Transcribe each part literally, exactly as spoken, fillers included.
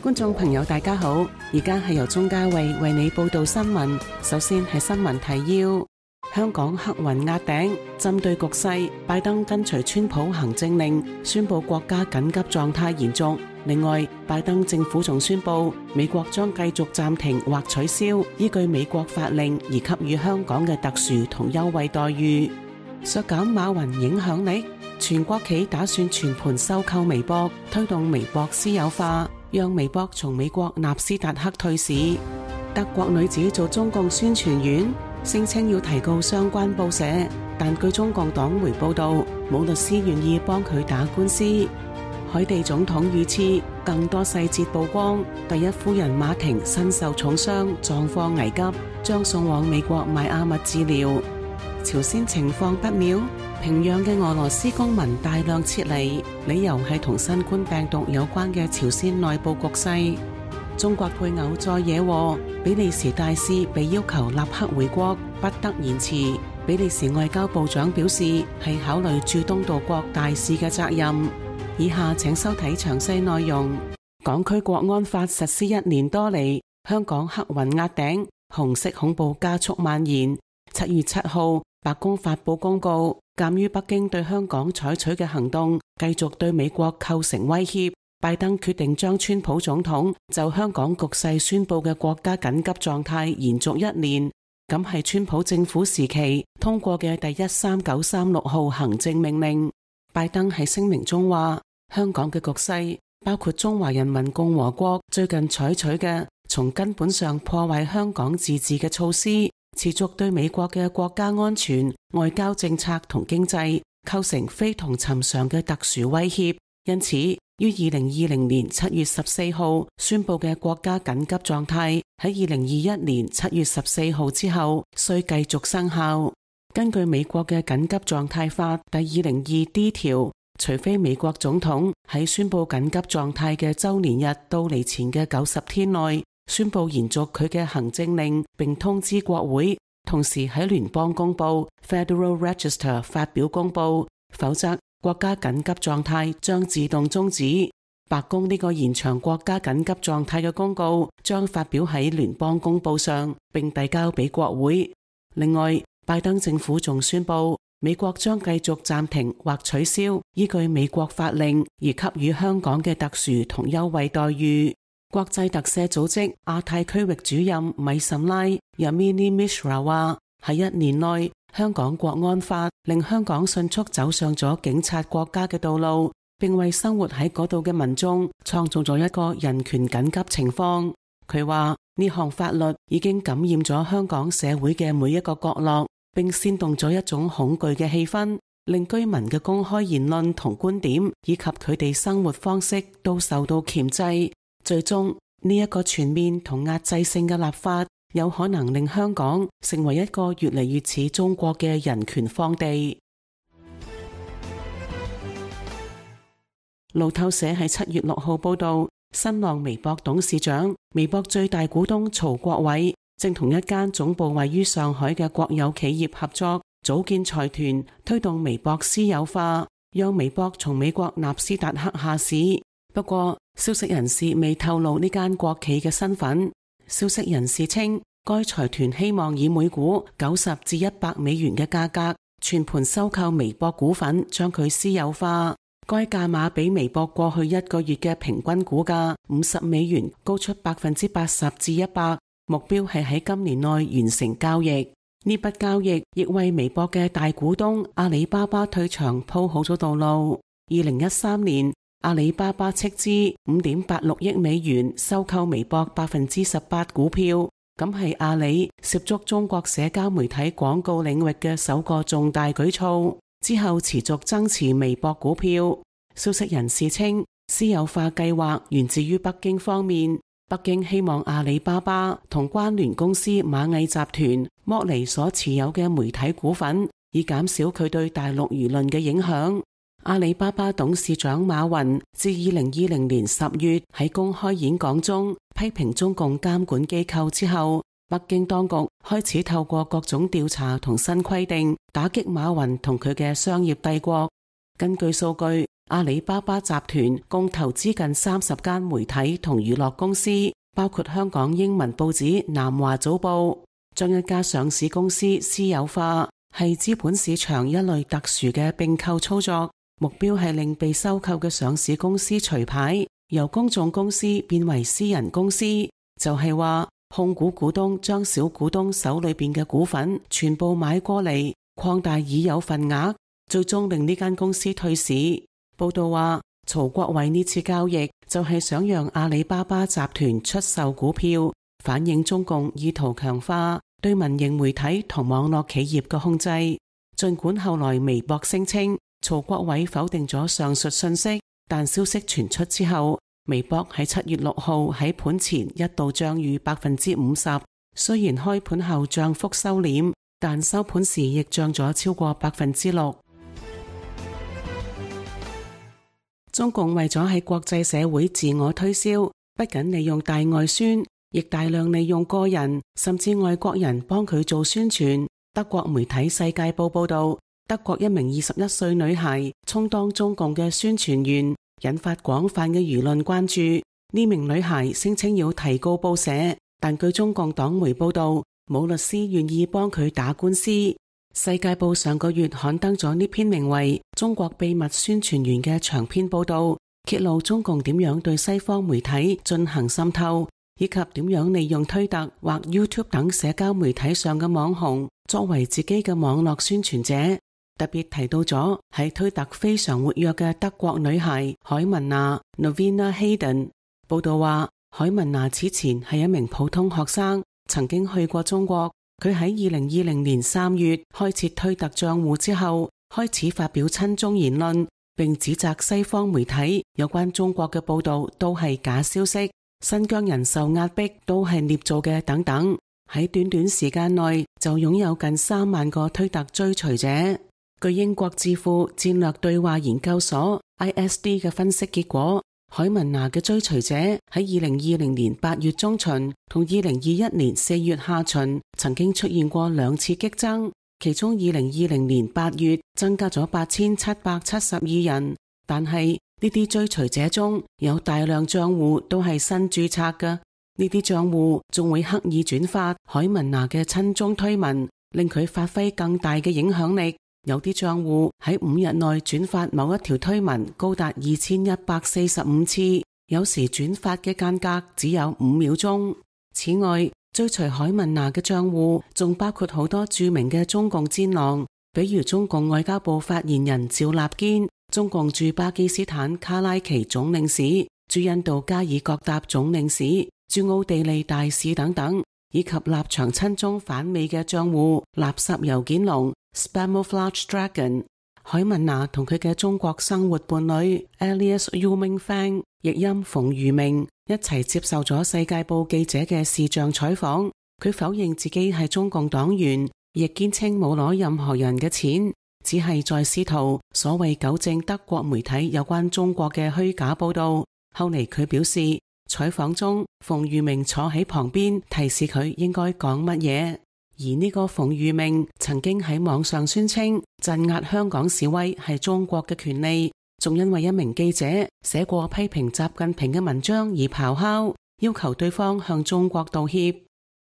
觀眾朋友大家好，而家係由鍾嘉慧為你報道新聞。首先係新聞提要：香港黑雲壓頂，針對局勢，拜登跟隨川普行政令，宣布國家緊急狀態延續。另外，拜登政府仲宣布，美國將繼續暫停或取消依據美國法令而給予香港嘅特殊同優惠待遇。削減馬雲影響力，全國企打算全盤收購微博，推動微博私有化，讓微博從美國納斯達克退市。德國女子做中共宣傳員，聲稱要提告相關報社，但據中共黨媒報道，冇律師願意幫佢打官司。海地總統遇刺，更多細節曝光。第一夫人馬婷身受重傷，狀況危急，將送往美國邁阿密治療。朝鮮情況不妙，平壤嘅俄羅斯公民大量撤離，理由係同新冠病毒有關嘅朝鮮內部局勢。中國配偶再惹禍，比利時大使被要求立刻回國，不得延遲。比利時外交部長表示，係考慮駐東道國大使嘅責任。以下請收睇詳細內容。港區國安法實施一年多嚟，香港黑雲壓頂，紅色恐怖加速蔓延。七月七號，白宮發佈公告，鑒於北京對香港採取嘅行動繼續對美國構成威脅，拜登決定將川普總統就香港局勢宣布嘅國家緊急狀態延續一年。咁係川普政府時期通過嘅第一三九三六號行政命令。拜登喺聲明中話，香港嘅局勢包括中華人民共和國最近採取嘅從根本上破壞香港自治嘅措施，持續對美國嘅國家安全、外交政策同經濟構成非同尋常嘅特殊威脅，因此於二零二零年七月十四號宣布嘅國家緊急狀態喺二零二一年七月十四號之後需繼續生效。根據美國嘅緊急狀態法第二零二 D 條，除非美國總統喺宣布緊急狀態嘅周年日到嚟前嘅九十天內宣布延續佢嘅行政令，並通知國會，同時喺聯邦公報 Federal Register 發表公佈，否則國家緊急狀態將自動終止。白宮呢個延長國家緊急狀態嘅公告將發表喺聯邦公報上，並遞交俾國會。另外，拜登政府仲宣布，美國將繼續暫停或取消依據美國法令而給予香港嘅特殊同優惠待遇。國際特赦組織亞太區域主任米什拉 Yamini Mishra 話，喺一年內，香港國安法令香港迅速走上咗警察國家嘅道路，並為生活喺嗰度嘅民眾創造咗一個人權緊急情況。佢話呢項法律已經感染咗香港社會嘅每一個角落，並煽動咗一種恐懼嘅氣氛，令居民嘅公開言論同觀點以及佢哋生活方式都受到鉗制。最終呢一個全面同壓制性嘅立法，有可能令香港成為一個越嚟越似中國嘅人權荒地。路透社喺七月六號報道，新浪微博董事長、微博最大股東曹國偉正同一間總部位於上海嘅國有企業合作，組建財團，推動微博私有化，讓微博從美國納斯達克下市。不過，消息人士未透露呢間國企嘅身份。消息人士稱，該財團希望以每股九十至一百美元嘅價格全盤收購微博股份，將佢私有化。該價碼比微博過去一個月嘅平均股價五十美元高出百分之八十至一百，目標係喺今年內完成交易。呢筆交易亦為微博嘅大股東阿里巴巴退場鋪好咗道路。二零一三年，阿里巴巴斥資五點八六億美元收購微博百分之十八股票，咁係阿里涉足中國社交媒體廣告領域嘅首個重大舉措。之後持續增持微博股票。消息人士稱，私有化計劃源自於北京方面，北京希望阿里巴巴同關聯公司螞蟻集團剝離所持有嘅媒體股份，以減少佢對大陸輿論嘅影響。阿里巴巴董事長馬雲自二零二零年十月喺公開演講中批評中共監管機構之後，北京當局開始透過各種調查同新規定打擊馬雲同佢嘅商業帝國。根據數據，阿里巴巴集團共投資近三十間媒體同娛樂公司，包括香港英文報紙南華早報，將一家上市公司私有化，係資本市場一類特殊嘅併購操作，目標係令被收購嘅上市公司除牌，由公眾公司變為私人公司，就係話控股股東將小股東手裏邊嘅股份全部買過嚟，擴大已有份額，最終令呢間公司退市。報道話，曹國偉呢次交易就係想讓阿里巴巴集團出售股票，反映中共意圖強化對民營媒體同網絡企業嘅控制。儘管後來微博聲稱曹國偉否定咗上述信息，但消息傳出之後，微博喺七月六號喺盤前一度漲逾百分之五十，雖然開盤後漲幅收斂，但收盤時亦漲咗超過百分之六。中共為咗喺國際社會自我推銷，不僅利用大外宣，亦大量利用個人甚至外國人幫佢做宣傳。德國媒體《世界報》報道，德國一名二十一歲女孩充當中共嘅宣傳員，引發廣泛嘅輿論關注。呢名女孩聲稱要提告報社，但據中共黨媒報道，冇律師願意幫佢打官司。世界報上個月刊登咗呢篇名為《中國秘密宣傳員》嘅長篇報道，揭露中共點樣對西方媒體進行滲透，以及點樣利用推特或 YouTube 等社交媒體上嘅網紅作為自己嘅網絡宣傳者。特別提到咗喺推特非常活躍嘅德國女孩海文娜 Novina Hayden。 報道話，海文娜此前係一名普通學生，曾經去過中國。佢喺二零二零年三月開設推特賬戶之後，開始發表親中言論，並指責西方媒體有關中國嘅報道都係假消息，新疆人受壓迫都係捏造嘅等等。喺短短時間內就擁有近三萬個推特追隨者。據英國智庫戰略對話研究所 I S D 嘅分析結果，海文娜嘅追隨者喺二零二零年八月中旬同二零二一年四月下旬曾經出現過兩次激增，其中二零二零年八月增加咗八千七百七十二人，但係呢啲追隨者中有大量賬戶都係新註冊嘅，呢啲賬戶仲會刻意轉發海文娜嘅親中推文，令佢發揮更大嘅影響力。有啲賬戶喺五日內轉發某一條推文高達二千一百四十五次，有時轉發嘅間隔只有五秒鐘。此外，追隨海文娜嘅賬戶仲包括好多著名嘅中共戰狼，比如中共外交部發言人趙立堅、中共駐巴基斯坦卡拉奇總領事、駐印度加爾各答總領事、駐奧地利大使等等，以及立場親中反美嘅賬戶垃圾郵件龍 Spamouflage Dragon。 海文娜同佢嘅中國生活伴侶 Elias Youming-Fang 譯音馮如明一齊接受咗世界報記者嘅視像採訪。佢否認自己係中共黨員，亦堅稱冇攞任何人嘅錢，只係在試圖所謂糾正德國媒體有關中國嘅虛假報道。後嚟佢表示，採訪中馮如明坐喺旁邊提示佢應該講乜嘢。而呢個馮如明曾經喺網上宣稱鎮壓香港示威係中國嘅權利，仲因為一名記者寫過批評習近平嘅文章而咆哮，要求對方向中國道歉。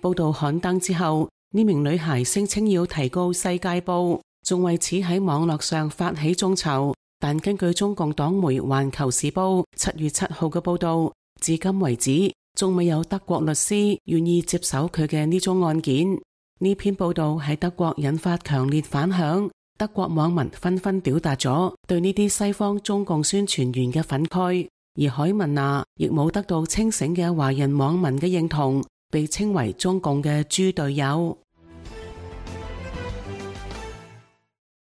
報道刊登之後，呢名女孩聲稱要提告世界報，仲為此喺網絡上發起眾籌。但根據中共黨媒環球時報七月七號嘅報道，至今為止仲未有德國律師願意接手佢嘅呢宗案件。呢篇報道喺德國引發強烈反響，德國網民紛紛表達咗對呢啲西方中共宣傳員嘅憤慨，而海文娜亦冇得到清醒嘅華人網民嘅認同，被稱為中共嘅豬隊友。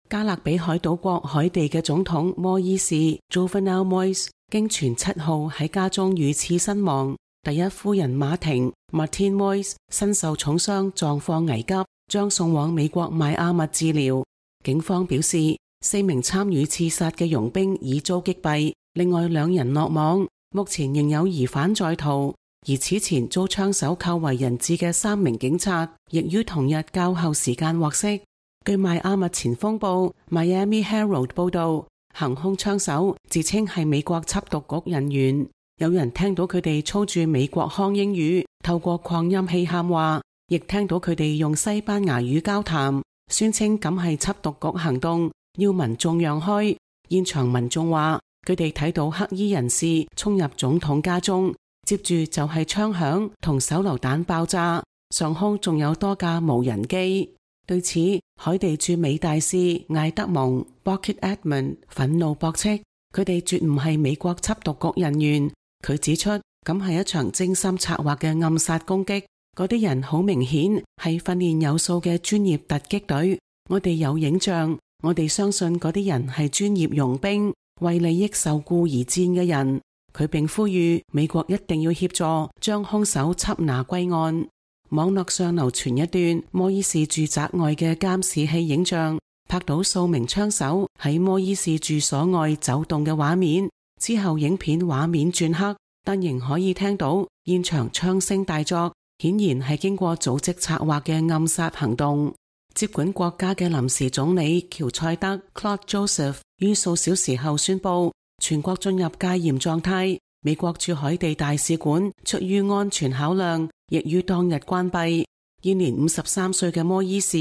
加勒比海島國海地嘅總統摩伊士 Jovenel Moise 經傳七號喺家中遇刺身亡。第一夫人馬婷 Martine Moise 身受重傷，狀況危急，將送往美國邁阿密治療。警方表示，四名參與刺殺嘅傭兵已遭擊斃，另外兩人落網，目前仍有疑犯在逃。而此前遭槍手扣為人質嘅三名警察，亦於同日較後時間獲釋。據邁阿密前鋒報 Miami Herald 報道，行兇槍手自稱係美國緝毒局人員，有人聽到佢哋操住美國腔英語，透過擴音器喊話，亦聽到佢哋用西班牙語交談，宣稱咁係緝毒局行動，要民眾讓開。現場民眾話佢哋睇到黑衣人士衝入總統家中，接住就係槍響同手榴彈爆炸，上空仲有多架無人機。對此，海地駐美大使艾德蒙 Burkitt Edmund 憤怒駁斥，佢哋絕唔係美國緝毒局人員。佢指出，咁係一場精心策劃嘅暗殺攻擊，嗰啲人好明顯係訓練有素嘅專業突擊隊。我哋有影像，我哋相信嗰啲人係專業傭兵，為利益受僱而戰嘅人。佢並呼籲美國一定要協助將兇手緝拿歸案。網絡上流傳一段摩伊士住宅外嘅監視器影像，拍到數名槍手喺摩伊士住所外走動嘅畫面。之後影片畫面轉黑，但仍可以聽到現場槍聲大作，顯然係經過組織策劃嘅暗殺行動。接管國家嘅臨時總理喬塞德 Claude Joseph 於數小時後宣布全國進入戒嚴狀態。美國駐海地大使館出於安全考量，亦於當日關閉。現年五十三歲嘅摩伊士，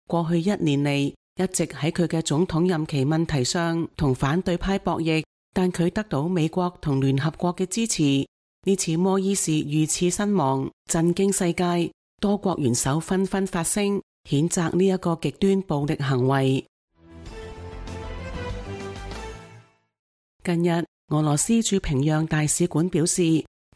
過去一年嚟一直喺佢嘅總統任期問題上同反對派博弈，但佢得到美國同聯合國嘅支持。呢次摩伊士遇刺身亡，震驚世界，多國元首紛紛發聲，譴責呢一個極端暴力行為。近日，俄羅斯駐平壤大使館表示，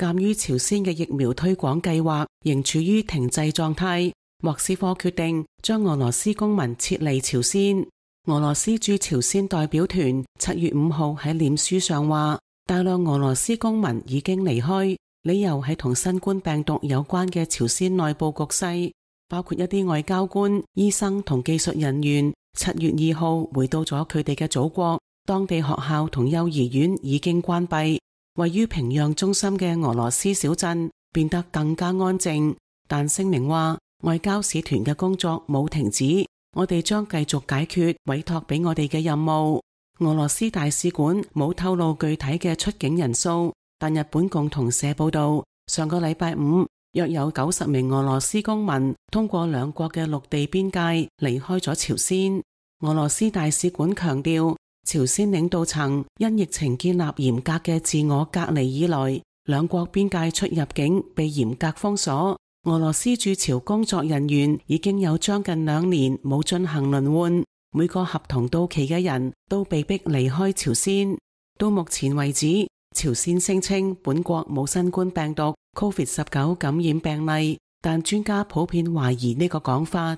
鑒於朝鮮嘅疫苗推廣計劃仍處於停滯狀態，莫斯科決定將俄羅斯公民撤離朝鮮。俄羅斯駐朝鮮代表團七月五號喺臉書上話，大量俄羅斯公民已經離開，理由係同新冠病毒有關嘅朝鮮內部局勢，包括一啲外交官、醫生同技術人員。七月二號回到咗佢哋嘅祖國。當地學校同幼兒園已經關閉，位於平壤中心嘅俄羅斯小鎮變得更加安靜。但聲明話，外交使團嘅工作冇停止，我哋將繼續解決委託俾我哋嘅任務。俄羅斯大使館冇透露具體嘅出境人數，但日本共同社報道，上個禮拜五約有九十名俄羅斯公民通過兩國嘅陸地邊界離開咗朝鮮。俄羅斯大使館強調，朝鮮領導層因疫情建立嚴格嘅自我隔離以來，兩國邊界出入境被嚴格封鎖。俄羅斯駐朝工作人員已經有將近兩年冇進行輪換，每個合同到期嘅人都被迫離開朝鮮。到目前為止，朝鮮聲稱本國冇新冠病毒 COVID 十九 感染病例，但專家普遍懷疑呢個講法。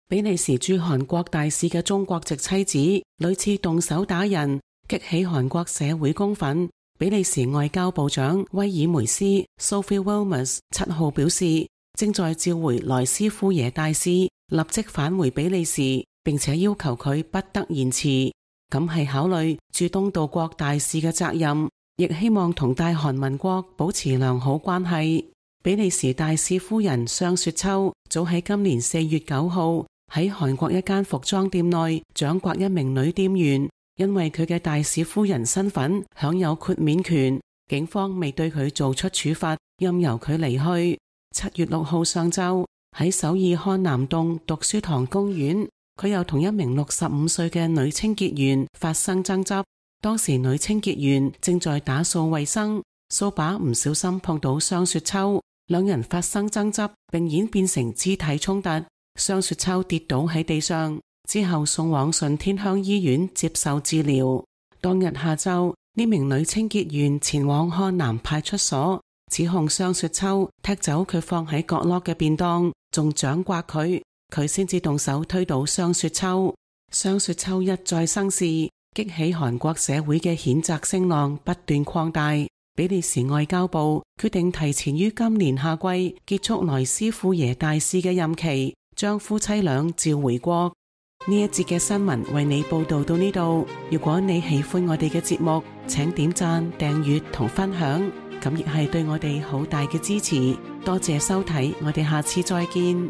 比利時駐韓國大使嘅中國籍妻子屢次動手打人，激起韓國社會公憤。比利時外交部長威爾梅斯 Sophie Wilmers 七號表示，正在召回萊斯夫耶大使立即返回比利時，並且要求佢不得延遲。咁係考慮駐東道國大使嘅責任，亦希望同大韓民國保持良好關係。比利時大使夫人雙雪秋早喺今年四月九號喺韓國一間服裝店內掌摑一名女店員，因為佢嘅大使夫人身份享有豁免權，警方未對佢做出處罰，任由佢離去。七月六號上晝喺首爾漢南洞讀書堂公園，佢又同一名六十五歲嘅女清潔員發生爭執。當時女清潔員正在打掃衛生，掃把唔小心碰到雙雪秋，兩人發生爭執，並演變成肢體衝突。雙雪秋跌倒喺地上，之後送往順天鄉醫院接受治療。當日下晝，呢名女清潔員前往漢南派出所，指控雙雪秋踢走佢放喺角落嘅便當，仲掌摑佢，佢先至動手推倒雙雪秋。雙雪秋一再生事，激起韓國社會嘅譴責聲浪不斷擴大。比利時外交部決定提前於今年夏季結束萊斯富耶大使嘅任期，將夫妻倆召回國。呢一節嘅新聞為你報道到呢度。如果你喜歡我哋嘅節目，請點讚、訂閱同分享，咁亦係對我哋好大嘅支持。多謝收睇，我哋下次再見。